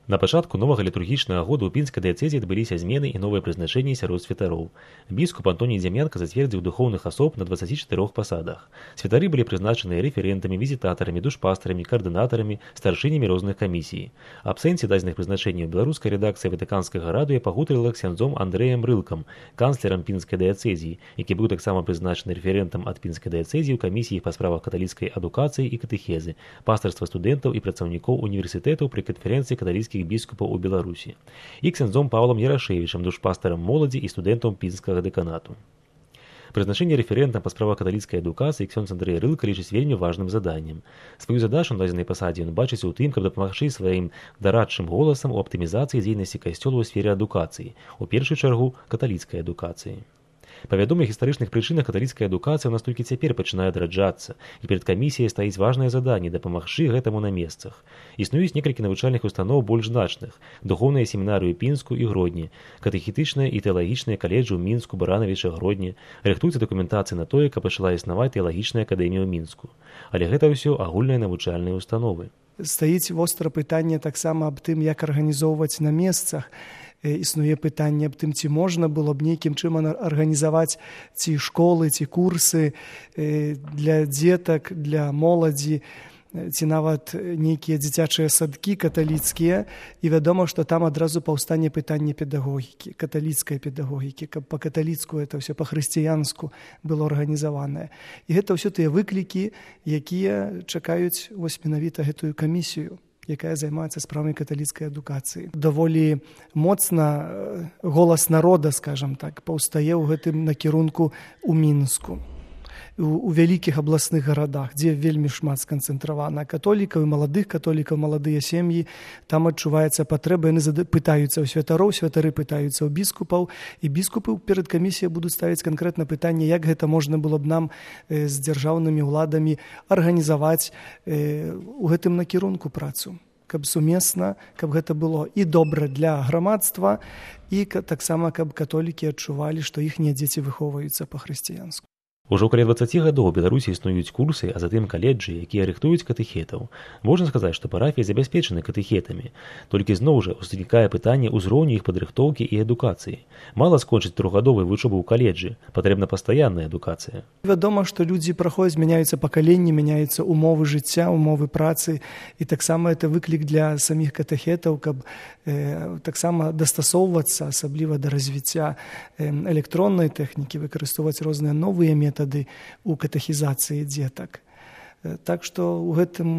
На пачатку новага літургічнага года ў пінскай дыяцэзіі адбыліся змены і новыя прызначэнні сярод святароў. Біскуп Антоній Дзямянка зацвердзіў духоўных асоб на 24 пасадах. Святары былі прызначаныя рэферэнтамі, візітатарамі, душпастарамі, каардынатарамі, старшынямі розных камісій. Аб сэнсе дадзеных прызначэнняў беларуская рэдакцыя Ватыканскага радыё пагутарыла ксяндзом Андрэем Рылкам, канцлерам пінскай дыяцэзіі, які быў таксама прызначаны рэферэнтам ад пінскай дыяцэзіі ў камісіі па справах каталіцкай адукацыі і катэхезы, пастырства студэнтаў і працаўнікоў універсітэтаў пры канферэнцыі каталіцкіх біскупаў у Беларусі, і ксяндзом Паўлам Ярашэвічам, душпастарам моладзі і студэнтам пінскага дэканату. Прызначэнне рэферэнтам па справах каталіцкай адукацыі ксёндз Андрэй Рылка лічыць вельмі важным заданнем. Сваю задачу на дадзенай пасадзе ён бачыць у тым, каб дапамагчы сваім дарадчым голасам у аптымізацыі дзейнасці касцёла ў сферы адукацыі, у першую чаргу каталіцкай адукацыі. Па вядомых гістарычных прычынах каталіцкая адукацыя ў нас толькі цяпер пачынае адраджацца, і перад камісіяй стаіць важнае заданне дапамагчы гэтаму на месцах. Існуюць некалькі навучальных устаноў больш значных: духоўныя семінарыі ў Пінску і Гродні, катэхетычныя і тэалагічныя каледжы ў Мінску, Баранавіча, Гродні, рыхтуецца дакументацыя на тое, каб пачала існаваць тэалагічная акадэмія ў Мінску. Але гэта ўсё агульныя навучальныя установы. Стаіць востра пытанне таксама аб тым, як арганізоўваць на месцах. Існуе пытанне аб тым, ці можна было б нейкім чынам арганізаваць ці школы, ці курсы для дзетак, для моладзі, ці нават нейкія дзіцячыя садкі каталіцкія. І вядома, што там адразу паўстане пытанне педагогікі, каталіцкай педагогікі, каб па-каталіцку это ўсё па-хрысціянску было арганізаванае. І гэта ўсё тыя выклікі, якія чакаюць вось менавіта гэтую камісію, якая займаецца справамі каталіцкай адукацыі. Даволі моцна голас народа, скажам так, паўстае ў гэтым накірунку ў Мінску, у вялікіх абласных гарадах, дзе вельмі шмат сканцэнтравана католікаў і маладых католікаў, маладыя сем'і. Там адчуваецца патрэба, яны пытаюцца ў святароў, святары пытаюцца ў біскупаў, і біскупы перад камісіяй будуць ставіць канкрэтна пытанне, як гэта можна было б нам з дзяржаўнымі ўладамі арганізаваць у гэтым накірунку працу, каб сумесна, каб гэта было і добра для грамадства, і таксама, каб католікі адчувалі, што іхнія дзеці выхоўваюцца па-хрысціянску. Ужо каля 20 гадоў у Беларусі існуюць курсы, а затым каледжы, якія рыхтуюць катэхетаў. Можна сказаць, што парафіі забяспечаны катэхетамі. Толькі зноў жа узнікае пытанне ўзроўню іх падрыхтоўкі і адукацыі. Мала скончыць трохгадовую вучобу ў каледжы, патрэбна пастаянная адукацыя. Вядома, што людзі праходзяць, мяняюцца пакаленні, мяняюцца умовы жыцця, умовы працы, і таксама это выклік для саміх катэхетаў, каб таксама дастасоўвацца, асабліва да развіцця электроннай тэхнікі, выкарыстоўваць розныя новыя метады ў катэхізацыі дзетак. Так што ў гэтым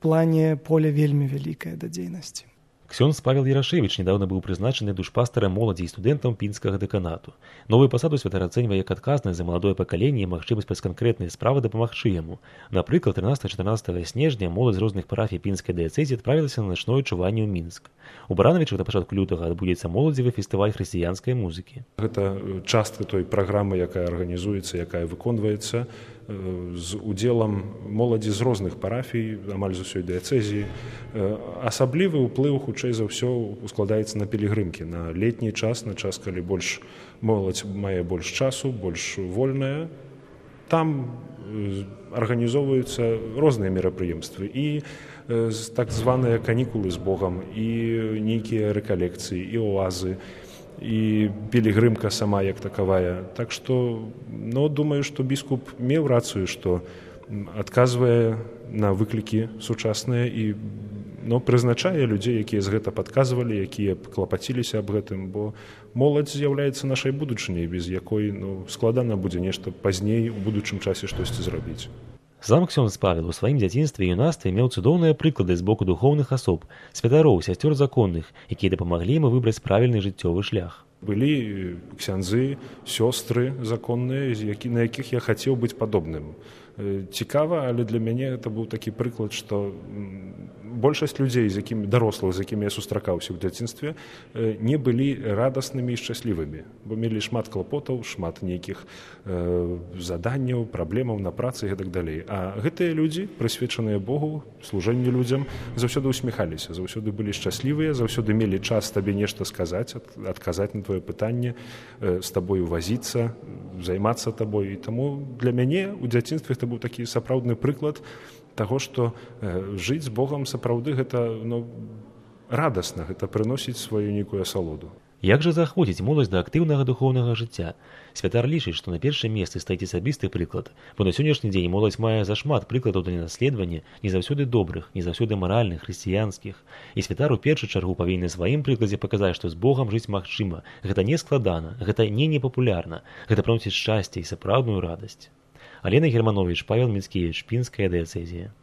плане поле вельмі вялікае да дзейнасці. Ксёндз Павел Ярашэвіч недавно быў прызначаны душпастарам моладзі і студэнтам пінскага дэканату. Новую пасаду святар ацэньвае як адказнасць за маладое пакаленне і магчымасць праз канкрэтныя справы дапамагчы яму. Напрыклад, 13-14 снежня моладзь з розных парафій пінскай дыяцэзіі адправілася на начное чуванне ў Мінск. У Баранавічах да пачатку лютага адбудзецца моладзевы фестываль хрысціянскай музыкі. Гэта частка той праграмы, якая арганізуецца, якая выконваецца з удзелам моладзі з розных парафій, амаль з усёй дыяцэзіі. Асаблівы ўплыў, хутчэй за ўсё, ускладаецца на пілігрымкі, на летні час, на час, калі моладзь мае больш часу, больш вольная. Там арганізоўваюцца розныя мерапрыемствы, і так званыя канікулы з Богам, і нейкія рэкалекцыі, і оазы, і пілігрымка сама як такавая. Так што, думаю, што біскуп меў рацыю, што адказвае на выклікі сучасныя і прызначае людзей, якія з гэта падказвалі, якія клапаціліся аб гэтым, бо моладзь з'яўляецца нашай будучыняй, без якой складана будзе нешта пазней у будучым часе штосьці зрабіць. Сам ксёндз Павел у сваім дзяцінстве і юнацтве меў цудоўныя прыклады з боку духоўных асоб, святароў, сясцёр законных, якія дапамаглі яму выбраць правільны жыццёвы шлях. Былі ксяндзы, сёстры законныя, на якіх я хацеў быць падобным. Цікава, але для мяне это быў такі прыклад, што большасць людзей, дарослых, з якімі я сустракаўся ў дзяцінстве, не былі радаснымі і шчаслівымі, бо мелі шмат клапотаў, шмат нейкіх заданняў, праблемаў на працы і гэтак далей. А гэтыя людзі, прысвечаныя Богу, служэнню людзям, заўсёды усміхаліся, заўсёды былі шчаслівыя, заўсёды мелі час табе нешта сказаць, адказаць на твоё пытанне, з табою вазіцца, займацца табой. І таму для мяне ў дзяцінстве гэта быў такі сапраўдны прыклад таго, што жыць з Богам сапраўды гэта радасна, гэта прыносіць сваю нейкую асалоду. Як жа заахвоціць моладзь да актыўнага духоўнага жыцця? Святар лічыць, што на першым месцы стаіць асабісты прыклад, бо на сённяшні дзень моладзь мае зашмат прыкладаў для наследавання, не заўсёды добрых, не заўсёды маральных, хрысціянскіх. І святар у першую чаргу павінен сваім прыкладзе паказаць, што з Богам жыць магчыма. Гэта не складана, гэта не непапулярна, гэта прыносіць шчасце і сапраўдную радасць. Алена Германович, Павел Міцкевіч, Пінская дыяцэзія.